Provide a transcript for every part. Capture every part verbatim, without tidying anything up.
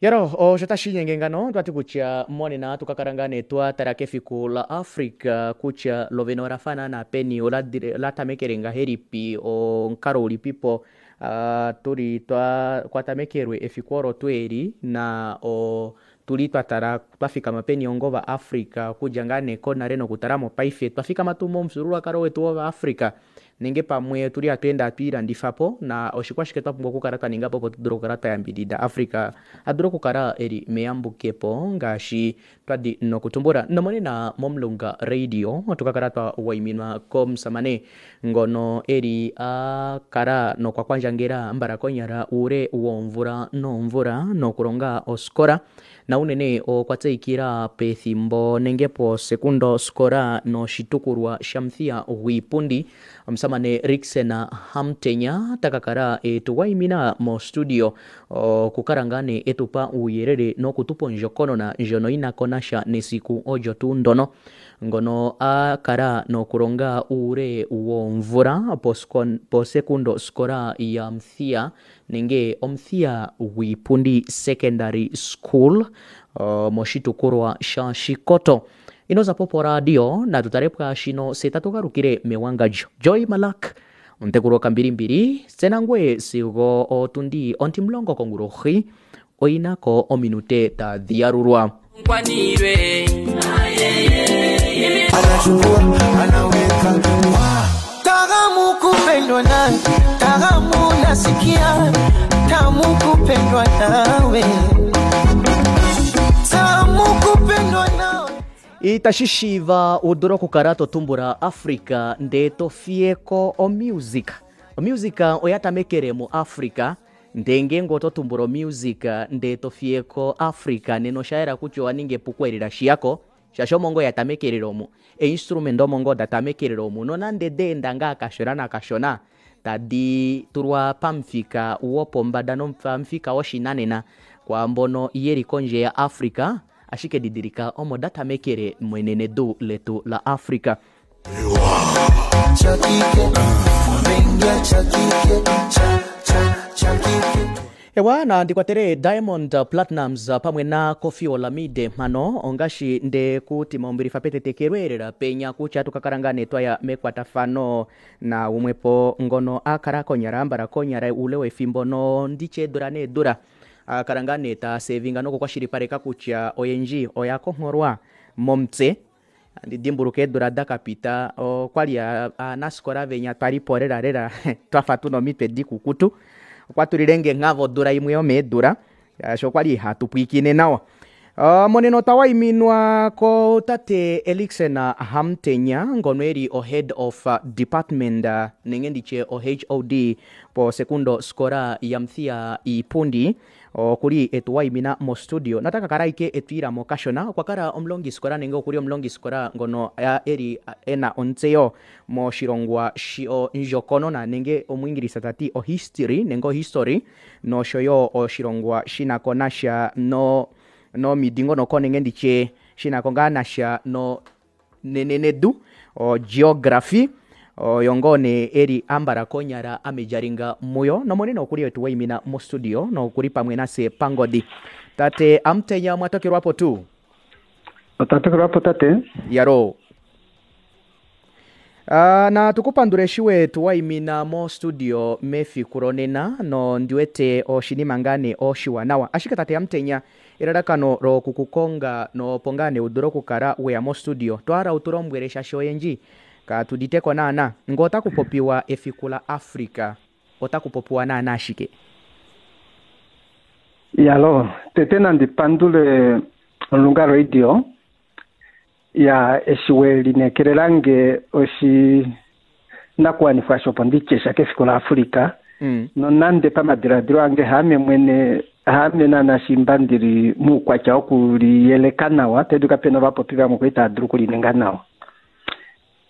Yaro, osho tashi inyenge ngano twati kutya monena tukakala ngaa nee twatala kefiku la Africa kutya lovene ola fa naana peni ola tamekele ngahelipi omukalo ulipipo uh, tuli twa kwatamekelwe efiku olo tuu eli na o tuli twatala twafikama peni onga ova Africa okudja ngaa nee konale nokutala mopaife otwafikama tuu momufyuululwakalo wetu wova africa nenge pamwe otuli hatweende hatwiilandifapo na oshikwashike twapumbwa okukala twaningapo opo tudule okukala twayambidida Africa adule okukala eli meyambukepo ngaashi twadi nokutumbula. Nomonena momulunga radio otukakala twawaiminwa komushamane ngono eli akala nokwa kwandjangela mbala konyala uule woomvula noomvula nokulonga oskola na unene okwa tseyikila pethimbo nenge posekundo skola noshitukulwa shamuthiya gwiipundi omusamane Riksen Hamutenya takakala etuwaimina mo studio okukala ngaa nee etupa uuyelele nokutupa ondjokonona ndjono yinako nasha nesiku olyo tuu ndono ngono akala nokulonga uule woomvula posekundo skola ya Muthiya nenge Omuthiya Gwiipundi Secondary School uh, moshitukulwa sha Shikoto. Inozapo poradio natu tale pwaashino se tatu galukile mewangandjo. Joy Malak omutekulu wokambilimbili tse nangwe sigo otundi ontimulongo kongulohi oyinako ominute tadhi yalulwa. Anachukua anaweka Tamu kupendwa nawe, tamu nasikia, tamu kupendwa nawe, tamu kupendwa nawe. Itashi shiiva u dule okukala to tumbula Africa ndee to fiyeko omusic. Omusic oya tamekele mu Africa ndee ngeenge oto tumbula omusic ndee to fiyeko Africa nena osha yela kutya owa ninga epuko eli lashiyako shaashi omo ngoo ya tamekelele omu einstrument omo ngoo da tamekelele omu nonande daenda ngaa kashona nakashona tadi tulwa pamufika wopombada nopamufika woshinanena kwaambono yeli kondje ya Africa ashike didilika omo datamekele mwenenedu letu la Africa. Cha kike, mengia cha kike, cha, cha, cha kike. Ewa na ndikwatele Diamond Platnumz pamwe na Koffi Olomide mhano ongashi nde kuti maumbilifa petetekelweelela penya kutya tukakala ngaa nee twaya mekwatafano na umwepo ngono akala konyala ambala konyala uule wefimbo no nditye eedula needula akala ngaa nee tasevinga nokukwashilipaleka kutya oyendji oya kongholwa momutse. Andi dimbuluka eedula dakapita okwali aanasikola venya twalipo lela lela twafa tuna omitwe dikukutu okwa tulilenge nghavo odula imwe yomeedula shaashi okwali hatu pwiikine nawa. Uh, monena otwa waiminwa ko tate Erikson Hamutenya ngono eli o head of department nenge nditye o H O D po sekundo skola ya Muthiya Iipundi okuli etuwaimina mo studio nataka kala ike etwiilamo kashona. Okwa kala omulongiskola nenge okuli omulongiskola ngono eli ena ontseyo moshilongwa shondjokonona nenge omwiingilisa tati o history nenge o history noshoyo oshilongwa shinako nasha no nomidingonoko nenge nditye shinako ngaa nasha no nenenedu o geography oyo ngoo nee eli ambala konyala amejaringa muyo nomonene okuli etuwaimina mo studio nokuli pamwe nase pangodi. Tate Amutenya mwatokelwapo tu? Otatokelwapo tate. Yaro. Uh, na tukupandule eshi wetu waimina mo studio mefiku lonena no ndiwete oshinima ngaa nee oshiwanawa. Ashike tate Amutenya elalakano lokukukonga nopo ngaa nee udule okukala weya mo studio twala utulombwele shaashi oyendji katuditeko naana ngo otakupopiwa efiku la Africa otakupopiwa naana ashike. Yalo, tete nandi pandule Omulunga Radio ya eshi we lineekelelange oshinakuwanifwa shopo ndityesha kefiku la Africa. Mm. Nonande pamadiladilo ange haame mwene haame naana shimba ndili muukwatya wokuliyeleka nawa tedu kapena ovapopi vamwe kwali tava dulu okulininga nawa.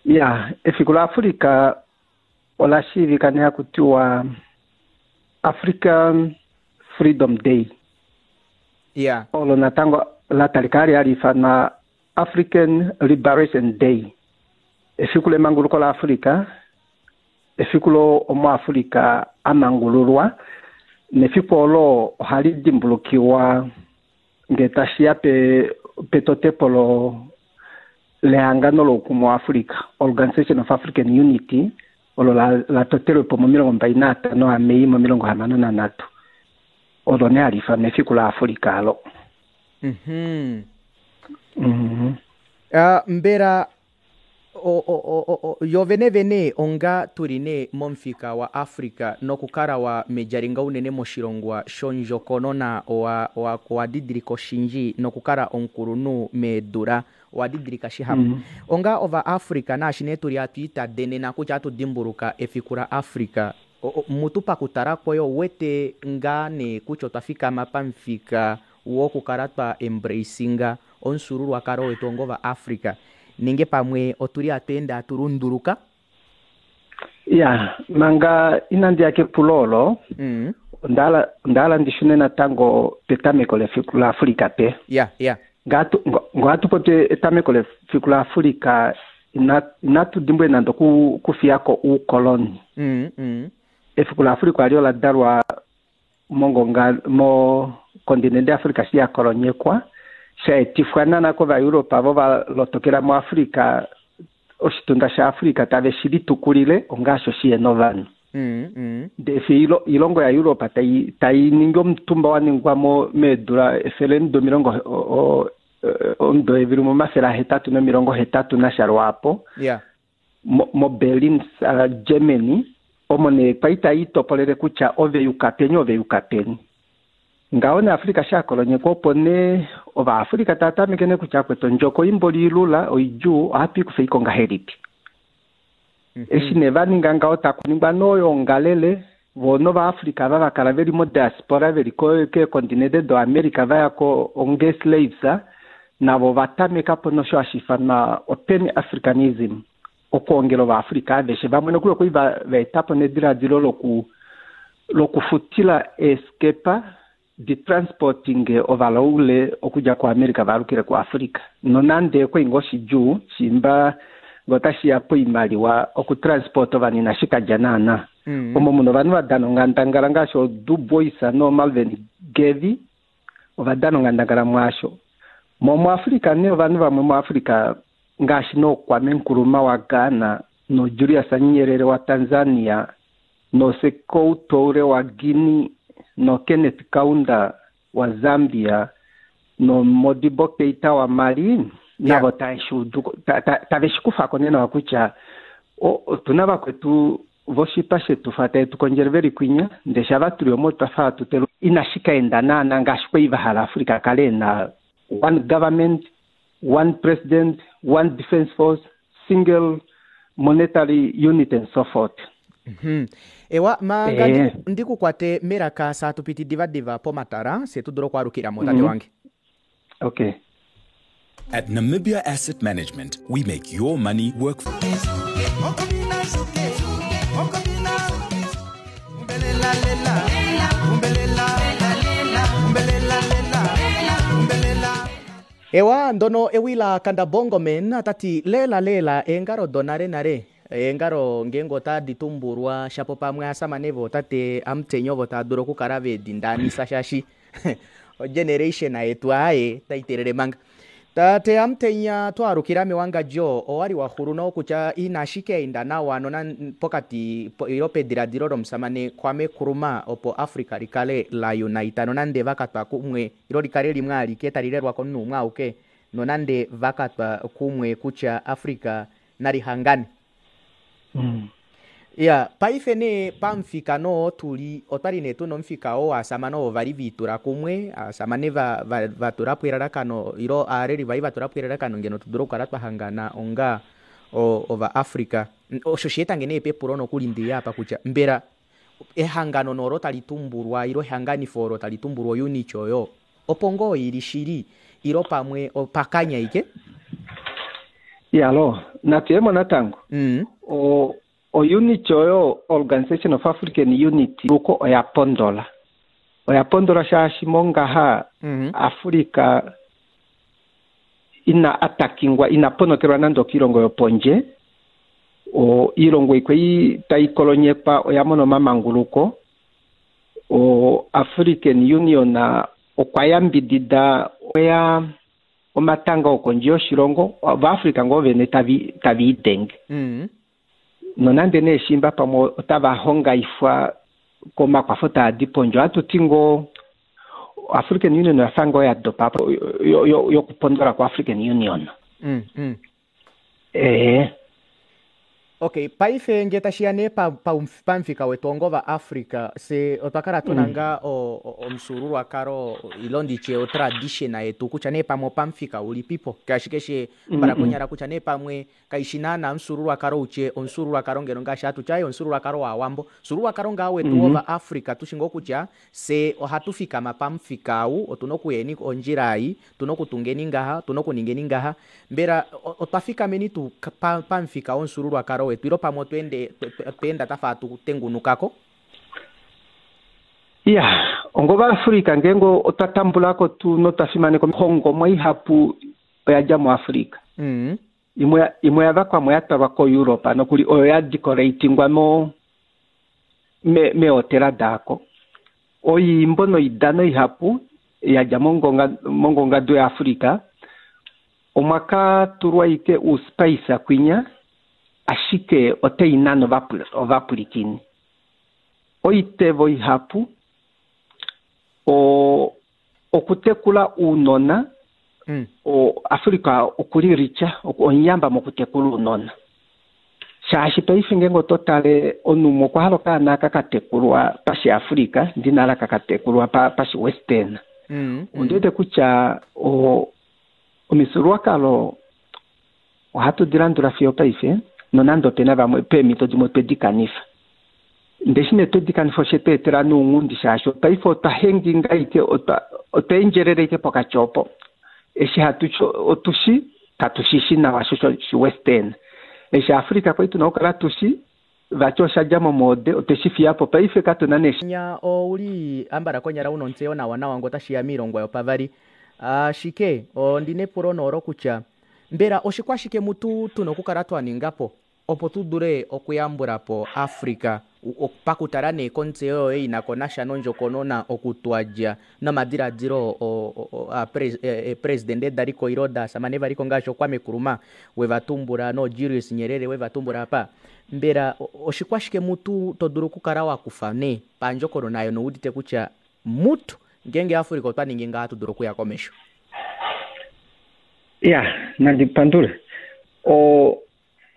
Ya, efiku la Africa ola shiivika nee haku tiwa African Freedom Day. Yeah. Olo natango la talika hali hali ifanwa African Liberation Day. Efiku lemanguluko la Africa, efiku lo omuAfrica amangululwa Nefiku olo ohali dimbulukiwa ngee tashiya pe petotepo lo lehangano loukumwe waAfrica, Organization of African Unity, olo la, la totelwe po momilongo mbali naatano aMei momilongo hamano nanhatu. Olo nee hali ifanwa efiku laAfrica alo. Mhm. Mhm. Uh, mbela o, o, o, o, yo vene vene onga tuli nee momufika wa Africa nokukala wa mejalinga unene moshilongwa shondjokonona owa, owa, owa didilika oshindji nokukala omukulunhu meedula owa didilika shihapu. Mm. Onga ova Africa naashi nee tuli atu itadenena kutya atu dimbuluka efiku la Africa, o- o- mutu pakutala kwoye ouwete ngaa nee kutya otwa fikama pamufika wokukala twa embracinga omufyuululwakalo wetu onga ova Africa nenge pamwe otuli atweende atulunduluka? Ya, manga inandi ya kepulo olo, mm. onda onda hala ndi shune natango petameko lefiku laAfrica pe. Ya ya Ngatu ngo hatu popi etameko lefiku laAfrica, ina inatu dimbwe nande oku kufiyako uukoloni. mm, mm. Efiku laAfrica alio la dalwa mongonga mo kontinente Africa shi ya kolonyekwa, sha etifwa nana kovaEuropa vo va lotokela muAfrica, oshitunda shaAfrica tave shi litukulile ongaasho shiyena ovanhu. Mm, mm. Ndee fi ilo- ilongo yaEuropa tai tai ningi omutumba wa ningwa mo meedula efelemudo omilongo o- o- omudo evili omafele ahetatu nomilongo hetatu nasha lwaapo ya mo, mo Berlin uh, Germany, omo nee kwali tai itopolele kutya ove yuka peni ove yuka peni. Ngaho ne Africa shakolonyekwa, opo nee ovaAfrica tava tameke nee kutya akwetu ondjoko imboli ilula oidjuu ohatu ikufa iko ngahelipi. Mm -hmm. Eshi nee va ninga ngaho takuningwa noyoongalele vo novaAfrica ava vakala veli modiaspora veli keekontinente doAmerica vaya ko onge slaves, navo va tameka po nosho hashi ifanwa opan africanism, okuongela ovaAfrica aveshe vamwe nokuli okuli va eta po nediladilo loku lokufutila eeskepa di transporting ovalaule okudja kuAmerica vaalukile kuAfrica, nonande okwa ngoo shidjuu shimba ngee otashiya poimaliwa okutransport ovanhu inashi kadja naana. Mm. Omo muna ovanhu va dana onghandangala ngaashi oDu Bois nooMalvin Gavi ova dana onghandangala mwaasho. Mo muAfrica nee ovanhu vamwe muAfrica ngaashi nooKwame Nkrumah waGhana, noJulius Nyerere waTanzania, noSekou Toure waGuinea, noKenneth Kaunda waZambia, noModibo Keita waMali, navo tave shi udu tave shi kufako nee nawa kutya otuna vakwetu voshipa shetu fa taye tu kondjele veli kwinya, ndee shava tuli omo twa fa hatu telu inashi ka enda naana ngaashi kwali va hala Africa kale ena one government, one president, one defense force, single monetary unit and so forth. Mm -hmm. Ewa manga Eh. ndikukwate melaka saatupiti divadiva pomatala se tudule okwaalukilamo tate Mm -hmm. wange. Okay. At Namibia Asset Management, we make your money work. Ewa ndono ewila kanda bongoman atati lela lela eengalo donale nale eengalo ngeenge otadi tumbulwa shapo pamwe asamane vo tate amutenya ovo tava dulu okukala vedindanisa shaashi ogeneration yetu aaye taitelele manga. Tate Amutenya, twaalukila mewangadjo owali waxulu nokutya inashi ka enda nawa nona pokati po, ilo pediladilo lomusamane Kwame Nkrumah opo Africa likale la unite nonande vakatwa kumwe ilo likale limwe alike tali lelwa komunhu umwe auke nonande vakatwa kumwe kutya Africa nali hangane. Mm. Ya paife nee pamufika noo tuli otwali nee tuna omufika oo waasamane ovo vali viitula kumwe aasamane va, va, vatulapo elalakano ilo aaleli vali vatulapo elalakano ngeno tudule okukala twahangana onga ova Africa. Osho sheetange nee pepulo nokuli ndiya apa kutya mbela ehangano nolo tali tumbulwa ilo ehanganifo olo tali tumbulwa ounity oyo opo ngoo ili shili ilo pamwe opakanya ike? Yalo natuyemo natango. Mm. O ounity oyo Organization of African Unity luko oya pondola oya pondola shaashi mongaha mm -hmm. Africa ina atakingwa ina ponokelwa nande okiilongo yopondje, o iilongo ikwei tai kolonyekwa oya mona omamanguluko. O African Union okwa yambidida oya omatanga okondje yoshilongo Ovaafrika ngoo vene tavi tavi idenge. Mm. Nonande nee shimba pamwe otava hongaifwa komakwafo taa di pondje, ohatu ti ngoo African Union oya fa ngoo ya dopa po yokupondola ko African Union. Mm, mm. Eh. Okay, paife nge tashiya nee pamufika wetu ongo vaAfrica, se otwa kala tuna nga omufyuululwakalo ilo nditye otradition yetu kutya nee pamwe opamufika ulipipo ngaashi keshe mbala konyala kutya nee pamwe kaishi naana omufyuululwakalo utye omufyuululwakalo ngeno ngaashi hatu tya omufyuululwakalo waawambo, omufyuululwakalo ngaa wetu wovaAfrica tushi ngoo kutya se ohatu fikama pamufika ou, otuna okuyeni ondjila ei, otuna okutungeni ngaha, otuna okuningeni ngaha. Mbela otwa fikameni tuu pamufika womufyuululwakalo wetu ilo pamwe otweende tweenda tafa atu tengunukako? Ya, ongo vaAfrika ngeenge otwa tambulako tu notwa fimaneka oihongomwa ihapu oya dja muAfrika. Mm. Imwe imwe ya vakwamwe ya twalwa koEurope nokuli oyo ya decoratingwa mo me meehotela daako. Oyiimbo noidano ihapu ya dja mongonga mongongadu yaAfrika omwa ka tulwa ike uspice kwinya ashike otai nana ovapulikini. Oitevo ihapu o okutekula uunona. Mm. O Afrika okuli richa onyamba mokutekula uunona. Shaashi paife ngeenge oto tale omunhu okwa hala okaana kakatekulwa pashiAfrika ndinala kakatekulwa pashi Western. Mm. Ondi wete kutya o omifyuululwakalo ohatu di landula fiyo paife nonande opena vamwe peemhito dimwe otwe di kanifa. Ndeshi nee twedi kanifa oshe tu etela nounghundi shaashi paife otwa henginga ike otwa otwa endjelele ike pokati opo. Eshi hatu otushi katu shi nawa sho shi Western. Eshi Afrika kwali tuna okukala tushi vati osha dja momoode otwe shi fiya po paife katuna nee nya ouli ambala konyala una ontseyo nawa nawa ngo otashiya miilongwa yopavali. Ashike ondina epulo noolo kutya mbela oshikwashike mutu tuna okukala twa ningapo opo tu dule okuyambula po Africa pakutala nee kontseyo yoye inako nasha nondjokonona okutwadja nomadiladilo eepresidente daliko ilo daasamane valiko ngaashi oKwame Nkrumah wevatumbula nooJulius Nyerere wevatumbula apa. Mbela oshikwashike mutu to dulu okukala wakufa nee pandjokonona yo noudite kutya mutu ngeenge Africa otwa ningi ngaha tu dulu okuya komesho? Ya, nandi pandule. O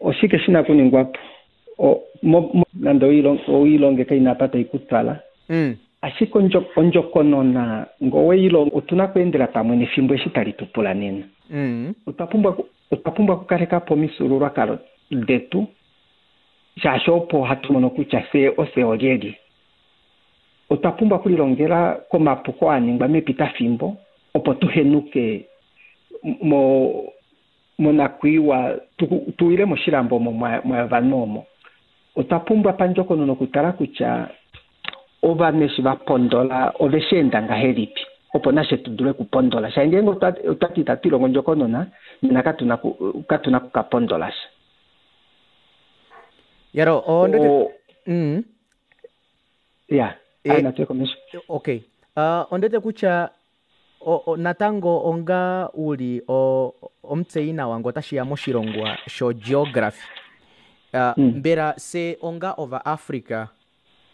oshike shina kuningwapo? O mo, nande oilonge kaina apa tai kutwala. Mm. Ashike ondjokonona ngoweilongo otuna kuendela pamwe nefimbo eshi tali tupula nena. Mm. Otwa pumbwa otwa pumbwa okukaleka po omifyuululwakalo detu shaashi opo hatu mono kutya fye ofye olyelye. Otwa pumbwa okulilongela komapuko a ningwa mepitafimbo opo tu henuke mo monakwiiwa tuwile moshilambo omo mwa vanhu omo. Otwa pumbwa pandjokonona okutala kutya ovanhu eshi va pondola ove shi enda ngahelipi opo nashe tu dule okupondola. Shaashi ngeenge otwa ti itatu ilongo ondjokonona nena katuna katuna kukapondola sha. Yaro, ondete mm. Ya, e, natuye komesho. Okay. Uh, ondete kutya o, o, natango onga uli o omutseyi nawa ngo otashiya moshilongwa sho geography. Uh, Mm. Mbela se onga ova Africa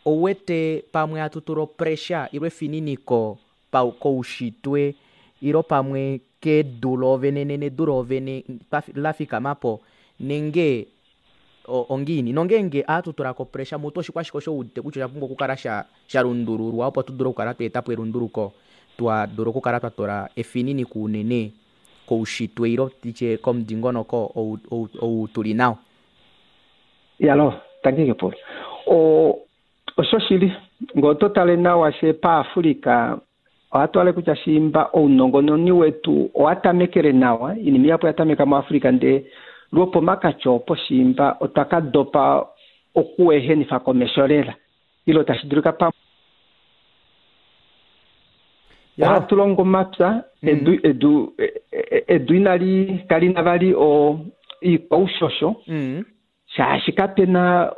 owete pamwe hatu tula opressure ilo efininiko pa koushitwe ilo pamwe kedu loovene nedu loovene la fikamapo nenge ongiini nongeenge ohatu tulako pressure mutu oshikwashike osho udite kutya osha pumbwa okukala sha shalundululwa opo tudule okukala twa etapo elunduluko twa dula okukala twa tula efininiko unene koushitwe ilo titye komudingonoko ou, ou, ou tuli nao. Yalo, tangi kepulo. O osho shili ngee oto tale nawa she paAfrika ohatu ale kutya shimba ounongononi wetu owa tamekele nawa, inima ihapu ya tameka muAfrika ndee lwopomakati opo shimba otwa ka dopa okuehenifa komesho lela ilo tashi dulika pa ohatu longo omapya edu edu edu inali kalina vali o iikwaushosho Mm. shaashi kapena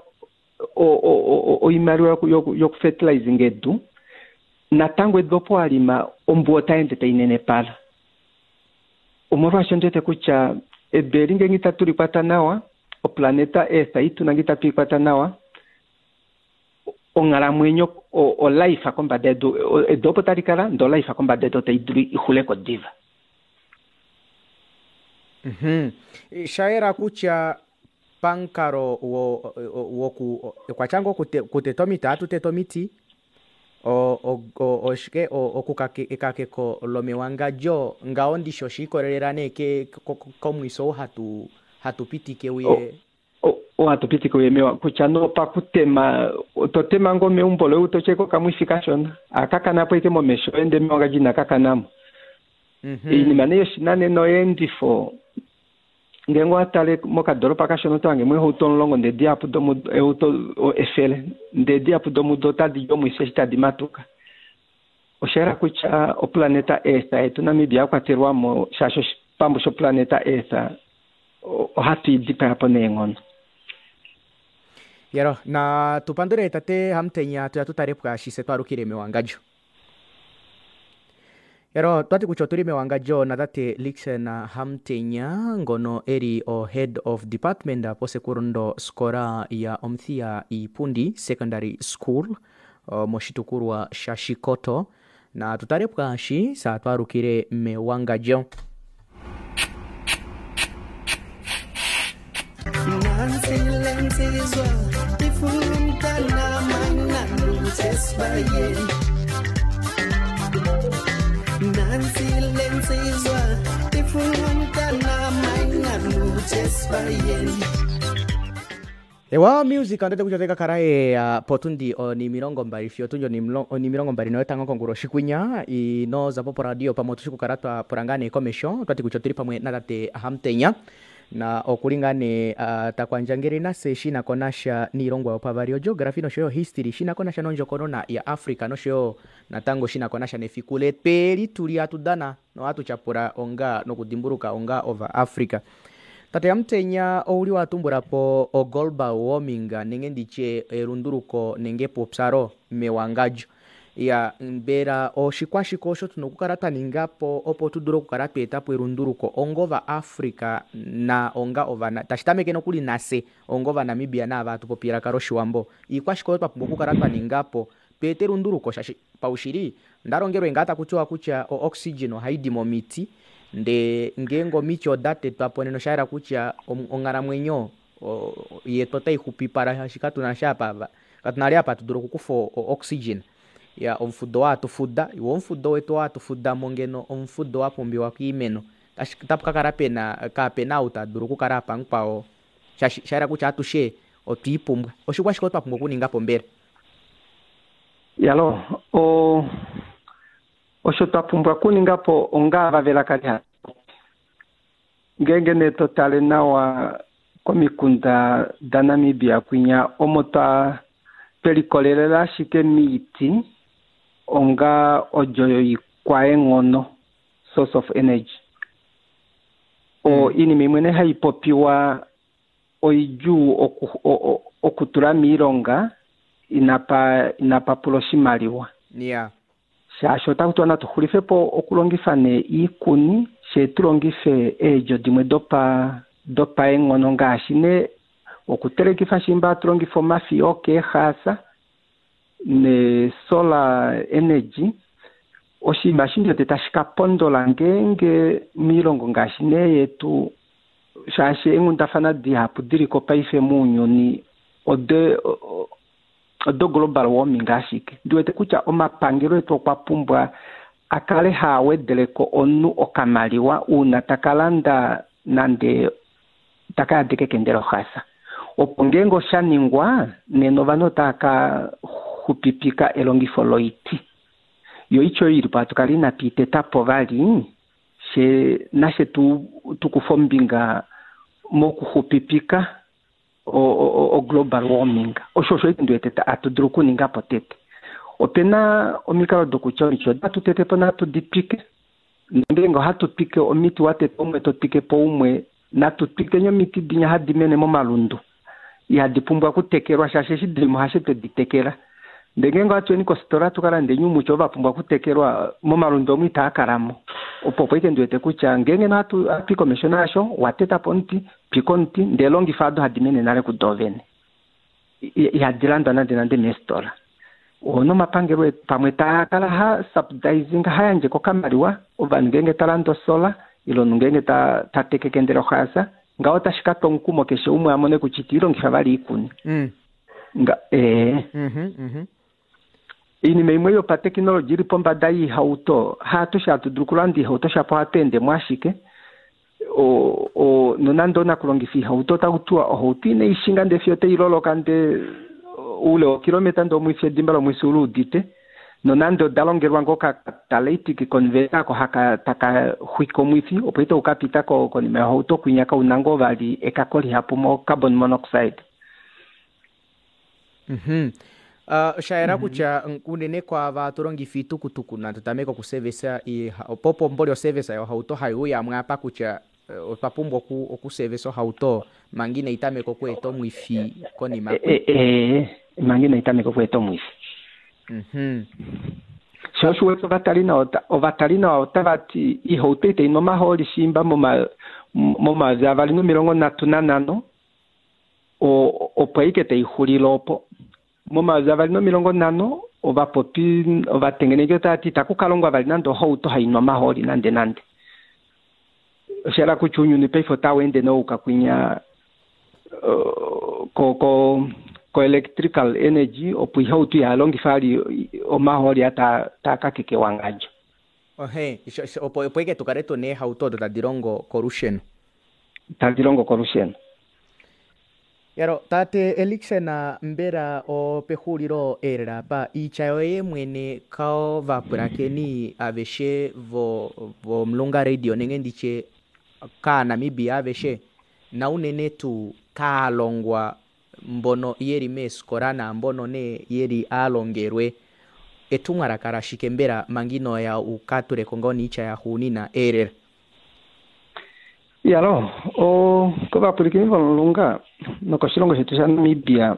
oimaliwa yoku fertilizing edu. Natango edu opo walima ombuwa otai ende tai nenepala. Omolwaasho ndiwete kutya edu eli ngenge itatu likwata nawa, oplaneta Earth ituna nge itatu ikwata nawa, onghalamwenyo olife kombada yedu, edu opo tali kala ndele olife kombada yedu otai dulu ixuleko diva. Mhm. Shayela kutya pamukalo woku okwatya ngoo kuteta omiti ohatu tete omiti oshike ekakeko lomewangadjo ngaho ndishi oshiikolelela nee komwiso ou hatu hatu pitike uye ohatu pitike uye mewa kutya no pakutema totema ngoo meumbo loye utotyeko okamwifi kashona akakanapo ashike momesho ende mewangadjo inakakanamo. Oinima nee yoshinanena oyeendifo ngenge owatale mokadoropa kashona otohange mo eehauto omulongo ndee dihapu domudo eehauto efele ndee dihapu domudo otadi di omwifi eshi tadi matuka. Oshayela kutya oplaneta Earth yetu Namibia yakwatelwamo shaashi oshipambu shoplaneta Earth ohatu i dipayapo neenghono. Yero na tupandule tate Hamutenya tuya tutale pwaashi se twalukile mewangadjo. Ero twati kutya otuli mewangadjo natate Lixen Hamutenya ngono eli o head of department posekundo skola ya Omuthiya Iipundi Secondary School moshitukulwa shaShikoto. Na tutale pwaashi sa twalukile mewangadjo. Ewa music andete kutya otaikakala uh, potundi oni milongo mbali fiyo otundi oni milongo mbali noyotango konguloshi kwinya inozapo poradio pamwe otushi kukala twapula ngaa nee komesho twati kutya otuli pamwe natate Hamutenya na okuli ngaa nee uh, takwandjangele nase shinako nasha niilongwa yopavali ogeography noshoyo history shinako nasha nondjokonona ya Africa noshoyo natango shinako nasha nefiku letweli tuli hatudana nohatu tyapula onga nokudimbuluka onga ova Africa. Tate Hamutenya ouli watumbulapo o global warming nenge nditye elunduluko nenge epupyalo mewangadjo. Ya mbela oshikwashike osho tuna okukala twaningapo opo tudule okukala tweetapo elunduluko onga ova Africa na onga ovana tashi tameke nokuli nafye onga ovanamibia naava hatu popi elaka loshiwambo. Iikwashike oyo twapumbwa okukala twaningapo tweete elunduluko shaashi paushili ondalongelwe ngaa takutiwa kutya o oxygen ohaidi momiti ndee ngeenge omiti oda tetwapo nena oshayela kutya onghalamwenyo yetu otai xupipala shaashi katuna sha apa katuna vali apa hatu dulu okukufa oxygen. Ya omufudo waatufuda iwo omufudo wetu waatufudamo ngeno omufudo wapumbiwa koimeno otapu kakala pena kapena ou tadulu okukala apa mukwao shaashi shayela kutya atushe otwiipumbwa. Oshikwashike twapumbwa okuningapo mbela? Yalo o osho twapumbwa okuningapo onga ava velaka ngeenge nee totale nawa komikunda daNamibia kwinya omo twa twelikolelela ashike miiti onga odjo yoikwaenghono source of energy. O iinima imwe nee hai popiwa oidjuu oku, okutula miilonga inapa inapa pula oshimaliwa. Yeah. Shaashi otaku tiwa natu xulife po okulongifa nee iikuni she tulongife eedjo dimwe dopa dopaenghono ngaashi nee okutelekifa shimba hatu longifa omafiya okeehaasa ne solar energy. Oshinima eshi ndiwete tashi ka pondola ngeenge miilongo ngaashi nee yetu shaashi eenghundafana dihapu diliko paife mounyuni ode odo global warming ashike. Ndiwete kutya omapangelo etu okwa pumbwa a kale haa wedeleko omunhu okamaliwa uuna taka landa nande taka yadeka ekende lohasa. Opo ngeenge osha ningwa nena ovanhu otava ka xupipika elongifo loiti. Yo oiti oyo ilipo hatu kala inatu i teta po vali she nashe tu tukufa ombinga mokuxupipika o, o, o global warming. Osho osho ndiwete hatu dulu okuninga po tete. Opena omikalo dokutya omiti otatu tete po natu di twike. Ngeenge ohatu twike omiti watete umwe to twike po umwe, natu twikeni omiti dinya hadi mene momalundu. Ihadi pumbwa okutekelwa shaashi eshi dilimo hashe twedi tekela. Ndee ngeenge ohatu kofitola tu ka lande oumuti ovo va pumbwa okutekelwa momalundu omo itaa kalamo. Opo opo ike ndi wete kutya ngeenge hatu i komesho naasho, wa teta po omuti, twika omuti, ndee longifa ado hadi mene nale kudo vene. Ihadi landwa nande nande meefitola. Nomapangelo pamwe taa kala ha subsidizing, ha yandje kokamaliwa ovanhu ngeenge ta landa osola ile omunhu ngeenge ta tekeke ndele ohaasa, ngaho otashi ka twa omukumo keshe umwe a mone kutya ite ilongifa vali oikuni. Nga ee. Oinima imwe yopateknologi ili pombada yoihauto, haatushe hatu dulu okulanda oihauto shapo ohatu ende mo ashike. Nonande onakulongifa oihauto otaku tiwa ohauto inai shinga ndee fiyo tai loloka ndee oule wokilometa ndee omwifi edimba lomwifi uluudite, nonande oda longelwa ngoo kacatalytic converter ako haka taka xwike omwifi opo ite ukapita konima yohauto kwinya kauna ngoo vali ekako lihapu mo carbon monoxide. Mhm. Uh, shayela kutya unene kwaava tulongifa iitukutuku natu tameke okusevesa opo opo mboli osevesa yohauto haiuya apa kutya otwa pumbwa okusevesa ohauto manga inai tameka okweeta omwifi konima. E, manga inai tameka okweeta omwifi. Mhm. Sho osho wete ovatali nawa ovatali nawa otava ti ihauto itai nu omahooli shimba momayovi avali nomilongo nhatu nanhano opo aike taixulile opo. Momayovi avali nomilongo nhano ovapopi ovatengeneki otava ti itaku ka longwa vali nande ohauto hainu omahooli nande nande. Osha kutya ounyuni paife otau ende nouka kwinya ko ko ko electrical energy opo ihauto ihalongifa vali omahooli taa taa kakeke ewangadjo. Ohe, opo opo ike tukale tuna eehauto odo tadi longo kolusheno. Tadi longo kolusheno. Yaro, tate Elikson mbela opexulilo eelela apa iitya yoye mwene kao vapulakeni aveshe vo vomulunga radio nenge nditye kaaNamibia aveshe naunene tuu kaalongwa mbono yeli meefikola naambono nee yeli aalongelwe etumwalaka lashike mbela manga inoya ukatuleko ngoo noitya yaxuunina eelela. Yalo, o kovapwilikini vomulunga nokoshilongo shetu shaNamibia,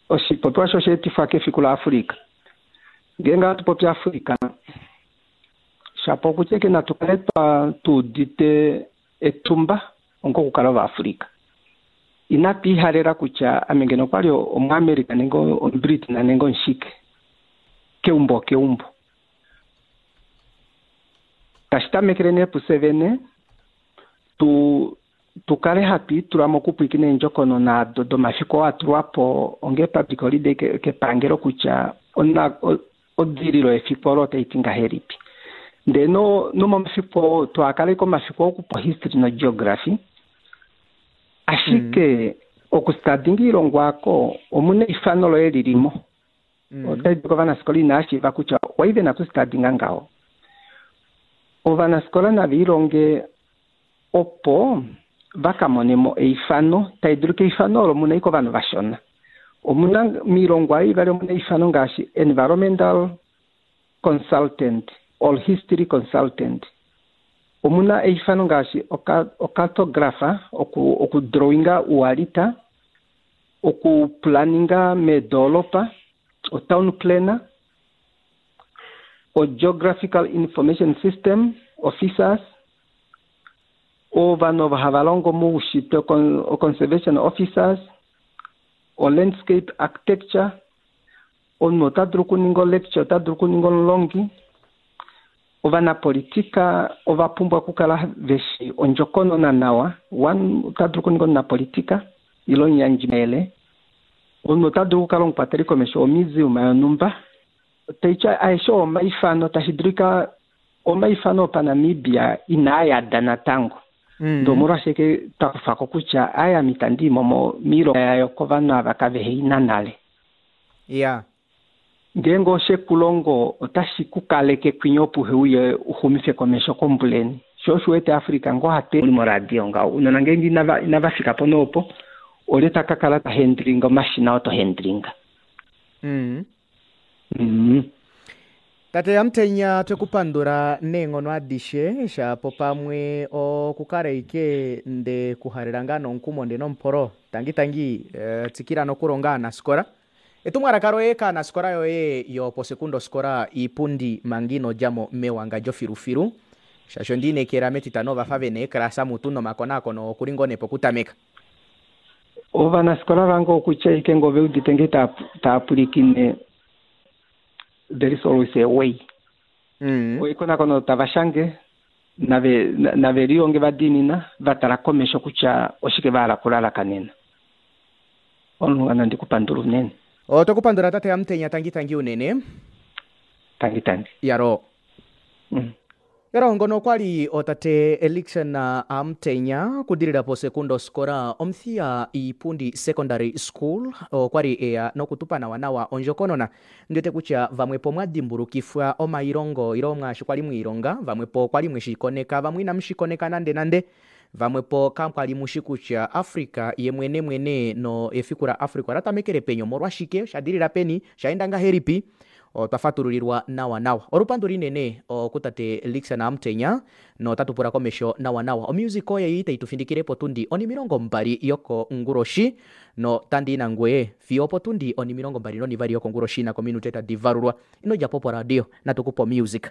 oshipopiwa sho osheetifwa kefiku laAfrika. Ngeenge hatu popi Afrika, shapo okutya ike natu kale tuudite etumba onga okukala Ovaafrika. Inatu ihalela kutya ame ngeno okwali omuAmerica nenge omuBritain nenge omushike. Keumbo keumbo. Tashi tamekele nee pufye vene, tu tukale hatu itula mokupwiikina eendjokonona ado domafiku oo atulwa po onge public holiday kepangelo kutya odililo yefiku olo otai ti ngahelipi. Ndee nomomafiku oo twakale komafiku okupa history nogeography, ashike okustadinga oilongwa ako omuna eifano loye lilimo. Otai di kovanafikola inaa shiiva kutya owai vena okustadinga ngaho. Ovanafikola nava ilonge opo vakamonemo eifano, tai dulu keifano olo muna ike ovanhu vashona. Omuna miilongwa ivali omuna eifano ngaashi environmental consultant or history consultant. Omuna eifano ngaashi ocartographer, okudrawinga ualita, okuplanninga meedolopa, otown planner, o geographical information system officers, ovanhu ovo hava longo moushitwe o conservation officers, o landscape architecture. Omunhu ota dulu okuninga olecture, ota dulu okuninga omulongi. Ovanapolitika ova pumbwa okukala veshi ondjokonona nawa. One, ota dulu okuninga omunapolitika ile omuyandjimayele. Omunhu ota dulu okukala omukwateli komesho womuseum yonhumba. Taitya aeshe omaifano tashi dulika omaifano opaNamibia inaa yada natango. Ndee omolwashike twa kufako kutya aya ame itandi imo miilonga yayo kovanhu ava kaveheina nale. Ya. Ngeenge oshekulongo otashi ku kaleke kwinya opo uheuye uxumife komesho kombuleni. Sho osho uwete Africa ngoo hatu moradio ngaho. Unona ngeenge inava fika po noopo, olye ta ka kala ta handlinga omashina oo to handlinga. Mm. Mm. Tate Amutenya twekupandula neenghono adishe shapo pamwe okukala ike nde kuhalela ngaa nomukumo nde nomupolo tangi tangi eh, tsikila nokulonga aanafikola Etumwalaka loye kaanasikola yoye yoposekundoskola Iipundi manga ino djamo mewangadjo filufilu, shaashi ondiinekela metitano ovafa vena eeklasa mutu nomakonakono okuli ngoo nee pokutameka. Ovanafikola vange okutya ike ngoo veudite ngee taa pwilikine, there is always a way. Mm. Ekonakono tava shange nave nave lihonge va diinina, va tala komesho kutya oshike va hala okulalakanena. Omunhu nandi kupandula unene. Oto kupandula tate Amutenya, tangi tangi unene. Tangi tangi. Yaro. Mm. Yaro ngono okwali otate Elikson Amutenya kudilila po sekundo skola Omuthiya Iipundi Secondary School, okwali eya nokutupa nawa nawa ondjokonona. Ndiwete kutya vamwe po mwa dimbulukifwa omailongo ilo mwaashi kwali mwiilonga, vamwe po kwali mweshikoneka, vamwe inamu shikoneka nande nande, vamwe po kakwali mushi kutya Africa ye mwene mwene no efiku la Africa ola tamekele peni, omolwashike, sha dilila peni, shaenda ngahelipi. Otwa fatululilwa nawa nawa. Olupandu linene okutate Elikson Amutenya notatu pula komesho nawa nawa. Omusic oye itayi tu findikile potundi onimilongo mbali yokonguloshi no tandi nangweye fiyo opotundi onimilongo mbali nonivali yokonguloshi nakominute tadi valulwa. Ino djapo po radio, natukupa omusic.